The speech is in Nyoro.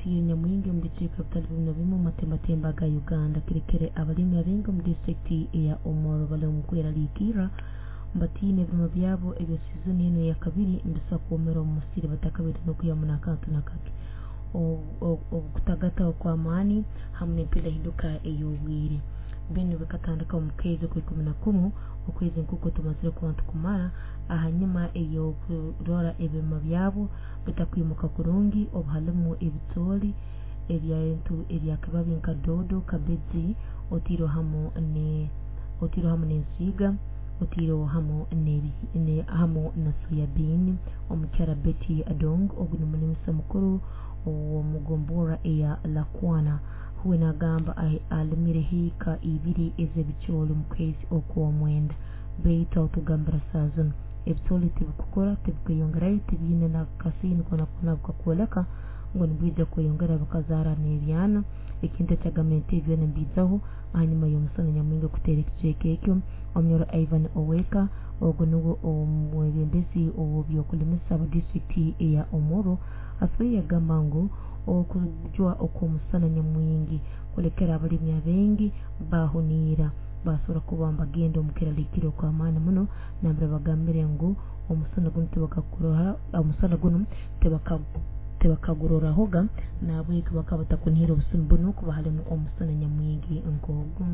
Gutiire nyamwingi omu bicweka bitali bimu na bimu omu matembatemba ga Uganda kirekere abalimi abaingi omu disitulikiti eya Omoro bali omu kweraliikirra batiine ebirimo byabo ebya sizoni enu eyakabiri nibisobora kwomera omu musiri batakabaire n'okwihamu n'akantu nakake. Okutagata okw'amaani hamu n'empindahinduka ey'obwire binu bikatandika omu kwezi okw'ikumi na kumu, okwezi nk'oku tumazire kuba nitukumara, ahanyuma ey'okurora ebirimo byabo bitakwimuka kurungi obu halimu ebicooli, ebintu ebyakibabi nka doodo, kabeji, otiireho hamu ne otiireho hamu n'ensiiga, otiireho hamu hamu na soya bean. Omukyara Betty Adong ogu ni mulimisa mukuru ow'omugomborra eya Lakwana, huwe naagamba alimire hiika ibiri ez'ebicooli omu kwezi okw'omwenda, baitu atugambira saaha zinu ebicooli tibikukura, tibikweyongerayo, tibiine n'akasiini koona koona akakwoleka ngu nibiija kweyongera bikazaara n'ebyana, ekintu ekyagambire nti ebi byona nibiijaho hanyuma y'omusana nyamwingi kuteera ekicweka ekyo. Omunyoro Ivan Oweka ogu nuwe omwebembezi ow'ebyokulimisa mu disitulikiti eya Omoro asoboire yagamba ngu okujwa okw'omusana nyamwingi kulekere abalimi abaingi baahuniira baasobora kuba nibagenda omu keraliikirro okw'amaani muno, nambere bagambire ngu omusana gunu tibakakurora omusana gunu tibakagurorahoga, nahabweki bakaba batakunihira obusumi bunu kuba halimu omusana nyamwingi nk'ogu.